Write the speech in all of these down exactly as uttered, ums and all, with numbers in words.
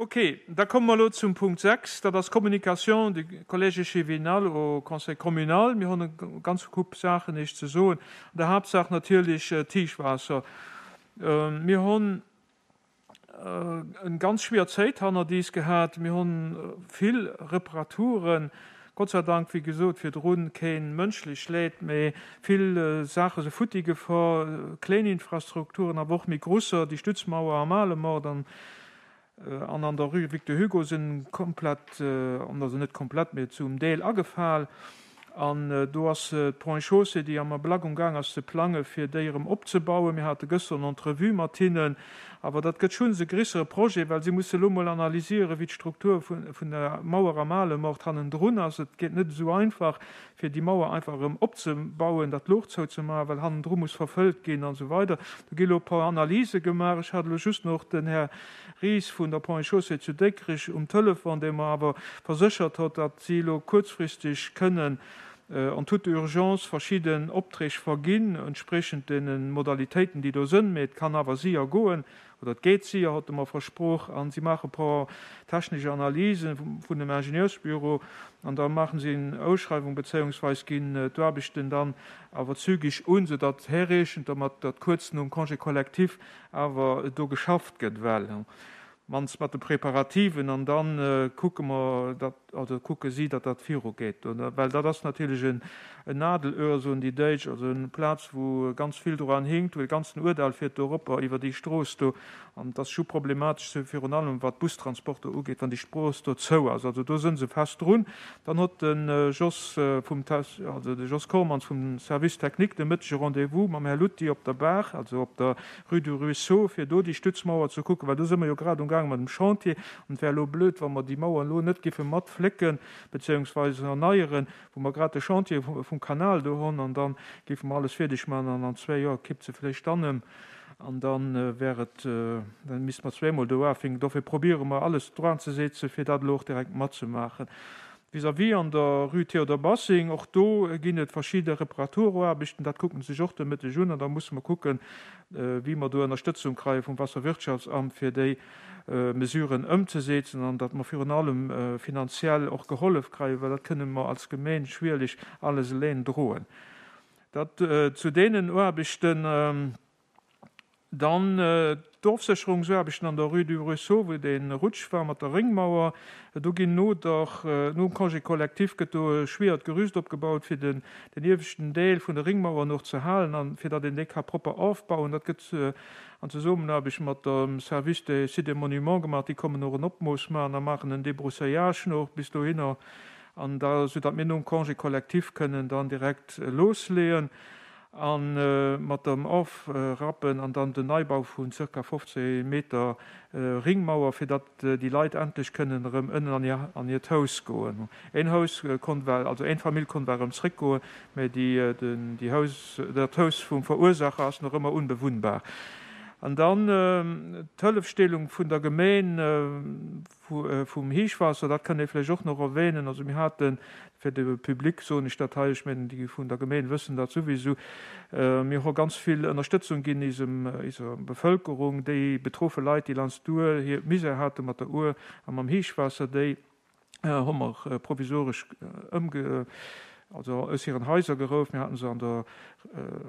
Ok, da komme mer elo zum Punkt sechs, dat ass Communication du Collège échevinal au Conseil communal. Mir hunn e ganz Koup Saachen Iech ze soen, an der Haaptsaach natierlech d'Héichwaasser. Mir hunn eng ganz schwier Zéit hannert iis gehat. Mir hunn vill Reparaturen, Gott sei Dank, wéi gesot virdrun, keen mënschlech Leed, mee vill Saache se futti gefor, kléin Infrastrukturen, awer och méi grusser, déi Stützmauer am Alemort an An an der Rue Victor Hugo sinn komplett, also net komplett, mee zum Deel agefal. An do ass d'Ponts et Chaussées, déi am Ablack um Gaang ass ze plange fir déi erëm opzebauen. Mir hate gëschter en Entrevue mat hinnen. Awer dat gëtt schonns e grissere Projet, well si musse elo mol analysieren, wéi d'Struktur vun der Mauer am Alemort hannendrun ass. Et geet net esou einfach, fir déi Mauer einfach erëm opzebauen, dat Luch zouzemaachen, well hannendru muss verfëllt ginn an esou weider. Do gi elo e paar Analyse gemaach. Ech hat elo just nach den Här Ries vun der Ponts et Chaussées zu Déckrech um Telefon, dee mer awer verséchert huet, datt si elo kuerzfristeg kënnen en toute urgence verschidden Opträg verginn, entspriechend deene Modalitéiten, déi do sënn. Mee et kann awer séier goen, oder et geet séier, huet e mer versproch. A si maache e paar technesch Analysen vun dem Ingenieursbüro an da maachen si eng Ausschreiwung bezéiungsweis ginn d'Aarbechten dann awer zügig un, soudatt herreechent dermat, datt kuerz nom Congé collectif awer do geschafft gëtt, well mannst mat de Preparativen, an dann kucke mer, datt, also kucke si, datt dat virugeet, well dat ass natierlech en Nadelöhr, soen déi Däitsch, also eng Plaz, wou ganz vill dran hinkt, wou de ganzen Ourdall fiert do eropper iwwer déi Strooss do, an dat ass scho problematesch, virun allem wat d'Bustransporter ugeet, wann déi Strooss do zou ass. Also do sënn se fest drun. Dann huet de Jos vum, also de Jos Kormans vum Service technique de Mëttege Rendez-vous mam Här Lutti op der Baach, also op der Rue du Ruisseau, fir do déi Stützmauer ze kucken, well do si mer jo grad umgaange mat dem Chantier, an et wär elo blöd, wa mer déi Mauer elo net giffe matflécken beziehungsweise erneieren, wou mer grad de Chantier vum Kanal do hunn, an dann géife mer alles fierdeg maachen an an zwee Joer kippt se vläicht dann ëm an dann wär et, dann misste mer zweemol do ufänken. Dofir probiere mer alles dran ze setzen, fir dat elo och direkt matzemaachen. Vis-à-vis an der Rue Théodore Bassing, och do ginn et verschidde Reparaturaarbechten, dat kucken sech och de Mëtteg un, an da musse mer kucken, wéi mer do Ënnerstëtzung kreie vum Wasserwirtschaftsamt, fir déi Mesuren ëmzesetzen, an datt mer virun allem finanziell och gehollef kreien, well dat kënne mer als Gemeen schwierlech alles eleng droen. Dat zu deenen Aarbechten. Dann d'Ofsécherungsaarbechten an der Rue du Ruisseau, wou dee Rutsch war mat der Réngmauer. Do ginn no der, nom Congé collectif gëtt do e schwiert Gerüst opgebaut, fir den, den ieweschten Deel vun der Ringmauer noch ze halen an fir datt een déi ka propper ofbauen. Dat gëtt an Zesummenaarbecht mat dem Service des Sites et Monuments gemaach. Déi kommen och en Opmooss maachen a maachen en Débroussaillage noch bis dohinner, an da, soudatt mir nom Congé collectif kënnen dann direkt losleeën a mat dem Ofrappen an dann den Neibau vun zirka fofzéng Meter Ringmauer, fir datt déi Leit endlech kënnen erëm ënnen an hir, an hiert Haus goen. Een Haus konnt well, also eng Famill konnt well erëm zréckgoen, mä déi, den, déi Haus, dat Haus vum Verursacher ass nach ëmmer unbewunnbar. An dann d'Hëllefstellung vun der Gemeen vum Héichwaasser, dat kann ee vläicht och nach erwähnen. Also mir haten, fir de Public soen ech dat hei, ech mengen déi vun der Gemeen wëssen dat souwisou, mir hu ganz vill Ënnerstëtzung ginn isem, iser Bevëlkerung, déi betroffe Leit, déi langs d'Our hir Misär hate mat der Our a mam Héichwaasser, déi hu mer provisoresch ëmge, also aus hiren Haiser geruff. Mir haten se an der,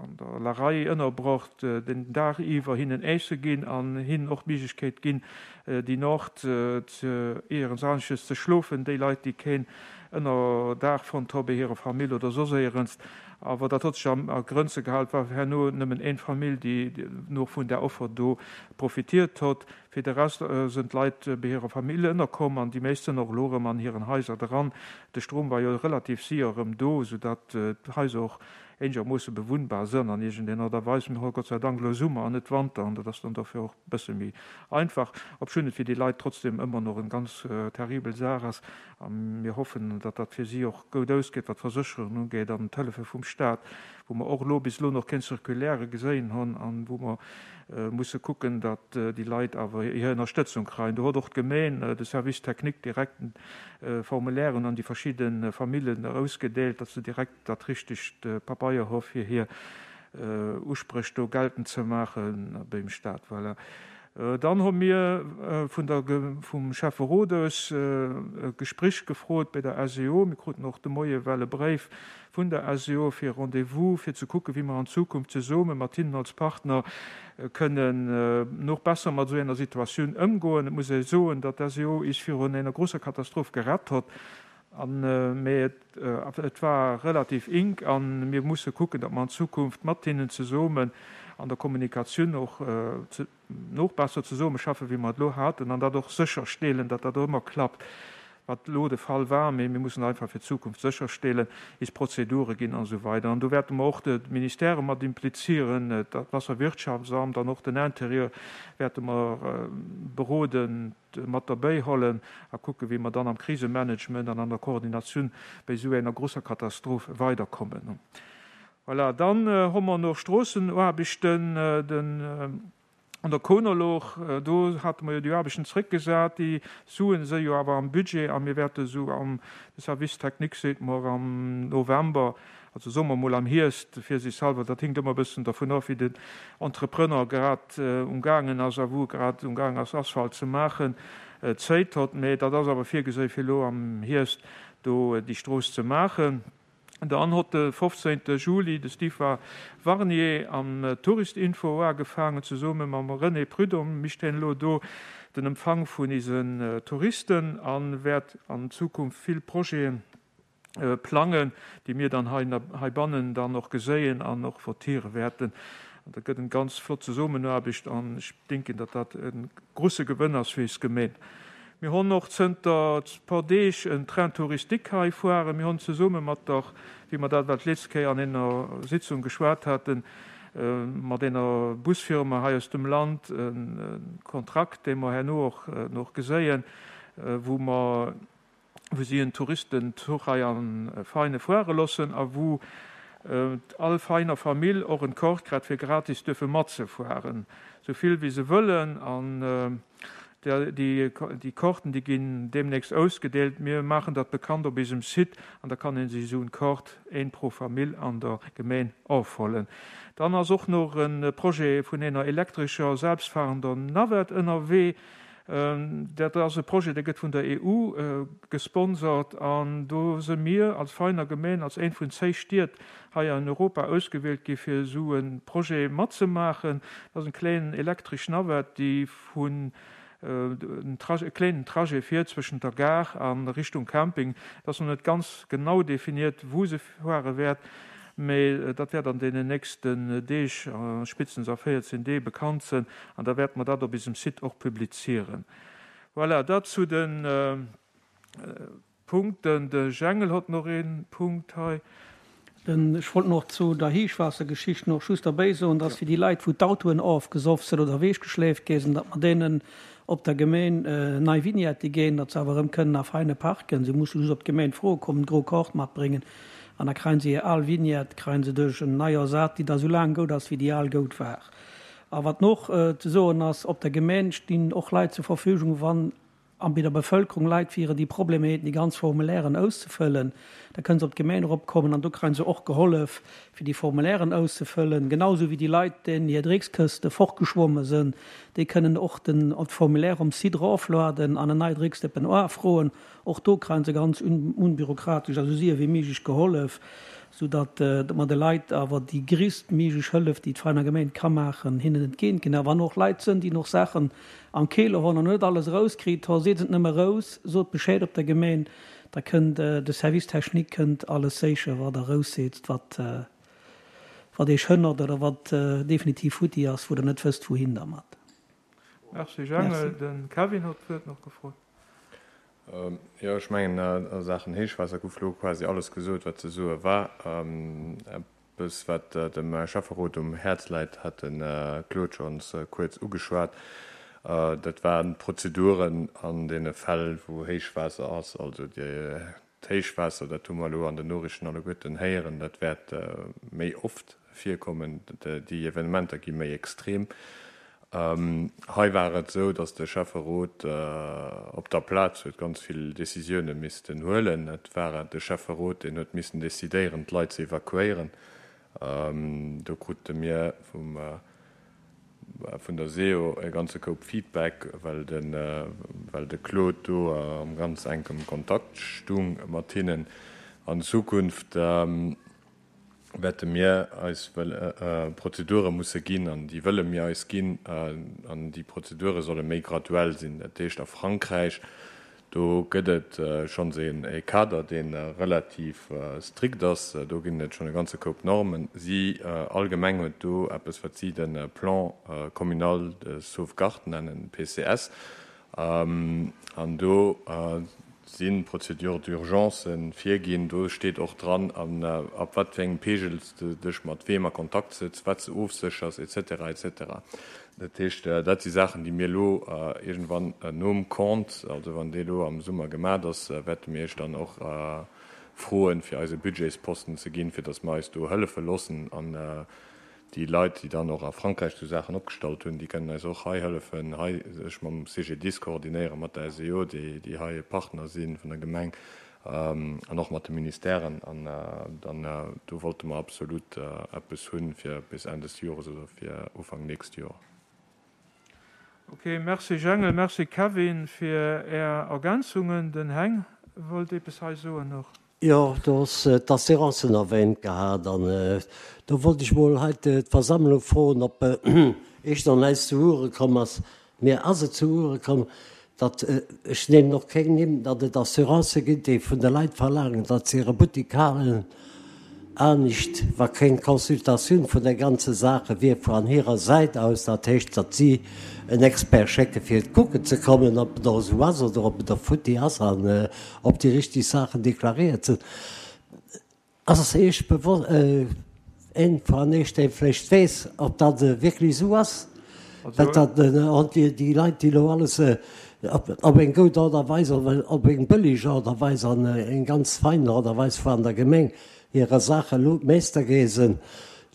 an der Larei ënnerbrocht, den Dag iwwer hinnen Äisse ginn an hinnen och d'Méiglechkeet ginn, déi Nacht ze éierens anesches ze schlofen, déi Leit, déi keen Ënnerdaach fonnt hu bei hirer Famill oder soss éierens. Awer dat huet sech a Grënze gehalen. Et war herno nëmmen eng Famill, déi no vun der Offer do profitiert huet. Fir de Rest sinn d'Leit bei hirer Famill ënnerkomm an déi meescht sinn och elo erëm an hiren Haiser dran. De Strom war jo relativ séier erëm do, soudatt d'Haiser och eenegermoosse bewunnbar sinn an iergendenger Art a Weis. Mir hu Gott sei Dank elo Summer an net Wanter an dat ass dann dofir och e bësse méi einfach, obschonn et fir déi Leit trotzdem ëmmer nach eng ganz terribel Saach ass. A mir hoffen, datt dat fir si och goud ausgeet, wat d'Versécherungen ugeet an d'Hëllefe vum Staat, wou mer och elo bis elo nach keng Circulaire geséien hunn an wou mer musse kucken, datt déi Leit awer hir Ënnerstëtzung kreien. Do huet och d'Gemeen, de Service technique direkt Formulairen an déi verschidde Famillen erausgedeelt, datt se direkt dat richtegt Pabeier hu fir hir Uspréch do geltend ze maache beim Staat. Voilà. Dann hu mir vun der, vum Schäfferot aus e Gespréich gefrot bei der SEO. Mir kruten och de Moie well e Bréif vun der SEO fir e Rendez-vous, fir ze kucken, wéi mer an Zukunft zesumme mat hinnen als Partner kënnen nach besser mat esou enger Situatioun ëmgoen. Et muss ee soen, datt d'SEO is virun enger grosser Katastroph gerett hott, an, mee et, et war relativ enk a mir musse kucken, datt mer an Zukunft mat hinnen zesummen an der Kommunikatioun och noch besser zesummeschaffen, wéi mer et elo haten, an dat och sécherstellen, datt dat och ëmmer klappt, wat elo de Fall war. Mee mir mussen einfach fir d'Zukunft sécherstellen, is Prozedure ginn an esou weider. An do wäerte mer och d'Ministèrë mat implizieren, d'Wasserwirtschaftsamt an och den Interieur wäerte mer beroden, mat derbäihollen a kucken, wéi mer dann am Krisemanagement an an der Koordinatioun bei esou enger grosser Katastroph weiderkommen. Voilà, dann hu mer nach Stroossenaarbechten, den an der Konerlouch, do hate mer jo déi Aarbechten zréckgesat, déi Suen si jo awer am Budget a mir wäerte sou am, de Service technique seet mer am November, also soe mer mol am Hierscht virsiichthalber, dat hinkt ëmmer e bëssen dervun of, wéi den Entrepreneur grad umgaangen ass a wou e grad umgaangen ass Asphalt ze maachen, Zéit hott. Mä dat ass awer virgeséi fir elo am Hierscht do déi Strooss ze maachen. Dann hott de fofzéngte Juli de Steve Warnier am Touristinfo uagefaangen, zesumme mam René Prudhomme mischt hien elo do den Empfang vun isen Touristen a wäert an Zukunft vill Projeten plangen, déi mir dann heibannen dann och geséien an och votiere wäerten. An dat gëtt en ganz flott Zesummenaarbecht an ech denken, datt dat e grusse Gewënn ass fir is Gemeen. Mir honn och zënter paar Deeg en Train touristique hei fueren. Mir honn zesumme mat der, wéi mer dat well d'letzt Kéier an enger Sitzung geschwat haten, mat enger Busfirma hei aus dem Land e Kontrakt, dee mer herno och nach geséien, wou mer, wou si en Touristenzuch hei a Veine fuere loossen a wou all Veiner Famill och en Kort kritt, fir gratis duerfe matzefueren, sou vill wéi se wëllen. An déi, déi Korten, déi ginn deemnächst ausgedeelt. Mir maachen dat bekannt op eisem Site an da kann ee sech esou en Kort, een pro Famill, an der Gemeen ofhollen. Dann ass och nach e Projet vun enger elektrescher selbstfahrender Navette ënnerwee. Dat ass e Projet, dee gëtt vun der E U gesponsert an do si mir als Veiner Gemeen als een vun zéi Stied hei an Europa ausgewielt gi fir esou e Projet matzemaachen. Dat ass eng kléin elektresch Navette, déi vun en kléinen Trajet fiert zwëschent der Gare a Richtung Camping. Et ass nach net ganz genau definiert, wou se fuere wäert. Mee dat wäert an deenen nächsten Deeg, spéitstens a véierzéng Deeg, bekannt sinn an da wäerte mer dat op eisem Site och publizieren. Voilà, dat zu de Punkten. De Jengel hott nach ee Punkt hei. Ech wollt nach zu der Héichwaassergeschicht nach just derbäi soen, dass fir déi Leit, wou d'Autoen ofgesoff sinn oder ewechgeschleeft gi sinn, datt mer deenen op der Gemeen nei Vignette ginn, datt se awer erëm kënnen a Veine parken. Se musse just op d'Gemeen froe kommen, d'gro Kaart matbréngen an da kréien se hir al Vignette, kréien se duerch en nei ersat, déi da sou laang goud ass, wéi déi al goud war. A wat noch ze soen ass, op der Gemeen stinn och Leit zur Verfügung, wann an bei der Bevëlkerung Leit wieren, déi Problemer hätten, déi ganz Formulairen auszefëllen, da kënnen se op d'Gemeen eropkommen an do kréien se och gehollef, fir déi Formulairen auszefëllen. Genau sou wéi déi Leit, deenen hir Dreckskëste fortgeschwomme sinn, déi kënnen och den d'Formulaire um Site erofladen an en nei Drecksdëppen afroen. Och do kréien se ganz unbürokratesch a sou séier wéi méiglech gehollef, sou datt mer de Leit awer déi gréisstméiglech Hëllef, déi d'Veiner Gemeen ka maachen, hinnen entgéint ginn. A wann och Leit sënn, déi nach Saachen am Keeler hunn an net alles erauskritt hu, seet et nëmme eraus, sot Bescheed op der Gemeen, da kënnt de Service technique kënnt alles sécher, wat Der erausseet, wat wat Iech hënnert oder wat definitiv futti ass, wou Der net wësst, wouhin dermat. Merci Jangel. De Kevin huet d'Wuert nach gefrot. Jo, ech mengen, a Saachen Héichwaasser gouf elo quasi alles gesot, wat ze soe war. Eppes, wat dem Schäfferot um Häerz läit, hat de Claude schonns kuerz ugeschwat. Dat waren d'Prozeduren an deene Fäll, wou Héichwaasser ass. Also d'Héichwaasser, dat hu mer elo an den Noriichten alleguerten héieren, dat wäert méi oft virkommen. Déi Evenementer gi méi extrem. Hei war et esou, datt de Schäfferot op der Plaz huet ganz vill Décisioune missten huelen. Et war de Schäfferot, deen huet missen decidéieren, d'Leit ze evakuéieren. Do krute mir vum vun der SEO e ganze Koup Feedback, well de well de Claude do am ganz enkem Kontakt stung mat hinnen. An Zukunft wäerte mir eis Prozedure musse ginn, an déi wëlle mir eis ginn, an déi Prozedure solle méi graduell sinn. Dat heescht, a Frankräich, do gëtt et schonns e Kader, dee relativ strikt ass. Do ginn et schonn e ganze Koup Normen. Si all Gemeng huet do eppes, wat si de Plan communal de sauvegarde nennen, PCS. An do si Procédures d'urgence virginn. Do steet och dran, ab wat fir engem Pegel s de dech mat weem a Kontakt sëtz, wat s de ofséchers, et cetera, et cetera. Dat heescht, dat si Saachen, déi mir elo iergendwann nom Compte, also wann dee elo am Summer gemat ass, wäerte mir Iech dann och froen, fir eis e Budgetsposten ze ginn, fir datt mer eis do hëllefe loossen. An déi Leit, déi dann och a Frankräich esou Saachen opgestallt hunn, déi kënnen eis och hei hëllefen, hei sech mam CGDIS koordinéieren, mat der SEO, déi hei Partner si vun der Gemeng, an och mat de Ministèren. An dann do wollte mer absolut eppes hunn, fir bis Enn des Jores oder fir Ufank nächst Joer. Ok, merci Jengel, merci Kevin fir Är Ergänzungen. Den Heng wollt eppes hei soen och. Jo, du hues d'Assurancen erwähnt gehat an do wollt ech mol hei d'Versammlung froen, ob Iech nach näischt zu Ouere komm ass. Mir ass et zu Ouere komm, datt, ech nennen och keng Nimm, datt et Assurancë ginn, déi vun de Leit verlaangen, datt se hire Buttik halen, anescht, wa keng Consultatioun vun der ganze Sache wier vu an hirer Säit aus, dat heescht, datt si en Expert schécke fir et kucken ze kommen, ob et och esou ass oder ob et och futti ass an ob déi richtig Saachen deklariert sinn. Ass Iech bewosst, een vun Iech, dee vläicht weess, ob dat wierklech esou ass, well dat déi Leit, déi elo alles op eng goud Aart a Weis, op eng bëlleg Aart a Weis an eng ganz fein Aart a Weis vu an der Gemeng hirer Saach elo Meester gesen,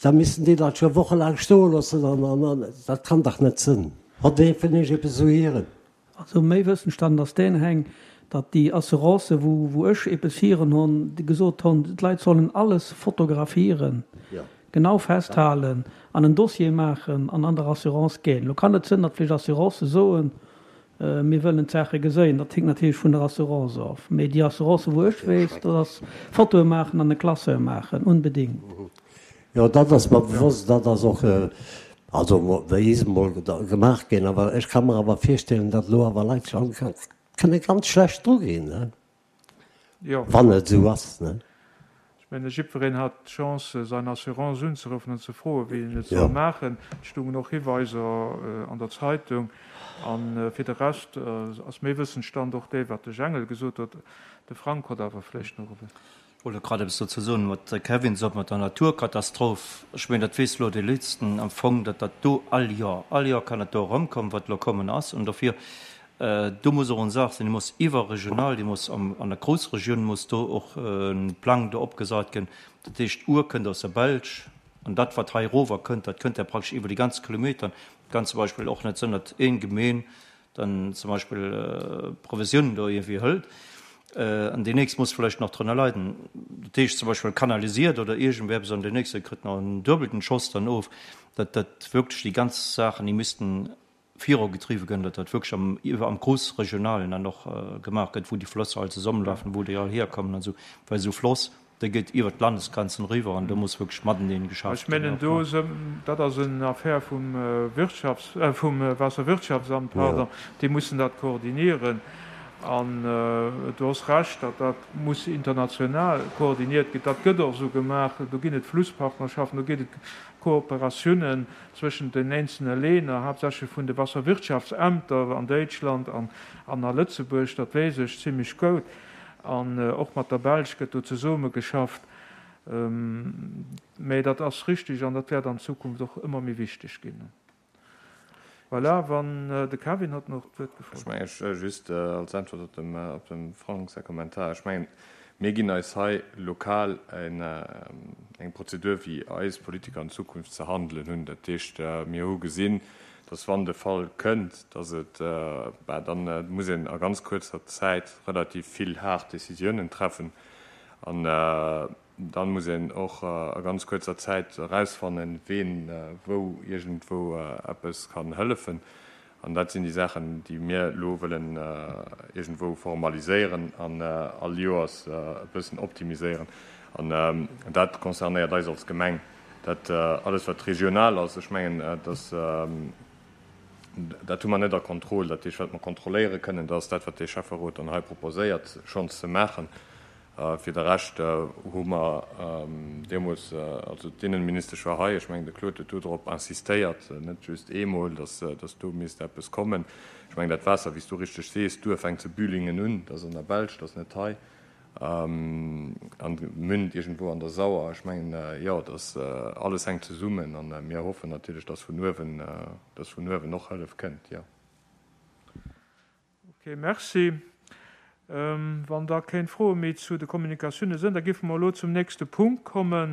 da missten déi dat scho wochelaang stoe loossen an dat kann dach net sënn. Hott ee vun Iech eppes esou hieren? Also méi Wëssenstand ass deen, Heng, datt déi Assurancen, wou wou ech eppes hieren honn, déi gesot honn, d'Leit sollen alles fotografieren, genau festhalen an en Dossier maachen an an der Assurance ginn. Elo kann et sënn, datt vläicht Assurancë soen, Mir wëllen d'Saache geséien. Dat hinkt natierlech vun der Assurance of. Mee déi Assurancen, wou ech weess, dat ass Fotoe maachen an e Classeur maachen, unbedingt. Jo, dat ass mer bewosst. Dat ass och, also wéi is emol gemaach ginn. Awer ech ka mer awer virstellen, datt elo awer Leit scho kënne ganz schlecht dru ginn, wann et esou ass. Ech mengen, jiddwereen hat d'Chance, säin Assurance unzeruffen an ze froen, wéi en et soll maachen. Et stungen och Hiweiser an der Zeitung. A fir de Rescht ass méi Wëssensstand och dee, wat de Jengel gesot huet. De Frank huet awer vläicht nach e. Ech wollt grad eppes dozou soen, wat de Kevin sot mat der Naturkatastroph. Ech mengen, dat weess elo dee Léitsten am Fong, datt dat do all Joer, all Joer kann dat do erëmkommen, wat elo kommen ass. An dofir, do muss och eng Saach sinn, déi muss iwwerregional, déi muss am, an der Groussregioun muss do och e Plang do opgesat ginn. Dat heescht, d'Our kënnt aus der Belsch an dat, wat hei erover kënnt, dat kënnt ja praktesch iwwer déi ganz Kilometern. Et kann zum Beispill och net sinn, datt een Gemeen dann zum Beispill Provisiounen do iergendwéi hëlt an déi nächst muss vläicht nach drënner leiden. Dat heescht zum Beispill kanalisiert oder iergendwéi eppes an deen nächste kritt nach en duebelten Schoss dann of. Dat dat wierklech déi ganz Saachen, déi missten virugetriwwe gënn, datt dat wierklech am iwwer am Groussregionalen dann och gemaach gëtt, wou déi Flëss all zesummenlafen, wou déi all hierkommen an esou, well esou Floss, dee geet iwwert d'Landesgrenzen eriwwer an do muss wierklech mateneen geschafft Ech mengen do, dat ass en Affaire vum Wirtschafts-, vum Waasserwirtschaftsamt, pardon, déi mussen dat koordinieren. An du hues Recht, datt dat muss international koordiniert ginn. Dat gëtt och esou gemaach. Do ginn et Flusspartnerschaften, do ginn et Kooperatiounen zwëschent den eenzelne Länner, haaptsächlech vun de Wasserwirtschaftsämter an Däitschland an a Lëtzebuerg, dat weess ech zimlech goud. An och mat der Belsch gëtt do zesummegeschafft. Mä dat ass richtig an dat wäert an Zukunft och ëmmer méi wichteg ginn. Voilà, wann de Kevin hat nach d'Wuert gefrot. Ech mengen, ech just als Äntwert op dem, op dem Frank säi Kommentar, ech mengen, mir ginn eis hei lokal eng Prozedur, wéi eis Politiker an Zukunft ze handelen hunn. Dat heescht, mir hu gesinn, dass wann de Fall kënnt, dass et, bah, dann muss een a ganz kuerzer Zäit relativ vill haart Décisiounen treffen. An Dann muss een och a ganz kuerzer Zäit erausfannen, ween wou iergendwou eppes kann hëllefen. An dat sinn déi Saachen, déi mir elo wëllen iergendwou formaliséieren an all Joers e bëssen optimiséieren. An dat concernéiert eis als Gemeng. Dat alles, wat regional ass, ech mengen, dass, dat hu mer net a Contrôle. Dat heescht, wat mer kontrolléiere kënnen, dat ass dat, wat de Schäfferot dann hei proposéiert, schonns ze maachen. Fir de Rescht hu mer deemools, also d'Innenministesch war hei, ech mengen, de Claude huet do drop insistéiert, net just eemol, dass, dass do misst eppes kommen. Ech mengen, dat Waasser, wéi s du richteg sees, d'Our fänkt zu Bühlingen un, dat ass an der Belsch, dat ass net hei, an münnt iergendwou an der Sauer. Ech mengen, jo, dass alles hänkt zesummen a mir hoffen natierlech, dass vun uewen, dass vun uewen och Hëllef kënnt, jo. Ok, merci. Wann da kéng Froe méi zu de Kommunikatioune sënn, da géife mer elo zum nächste Punkt kommen.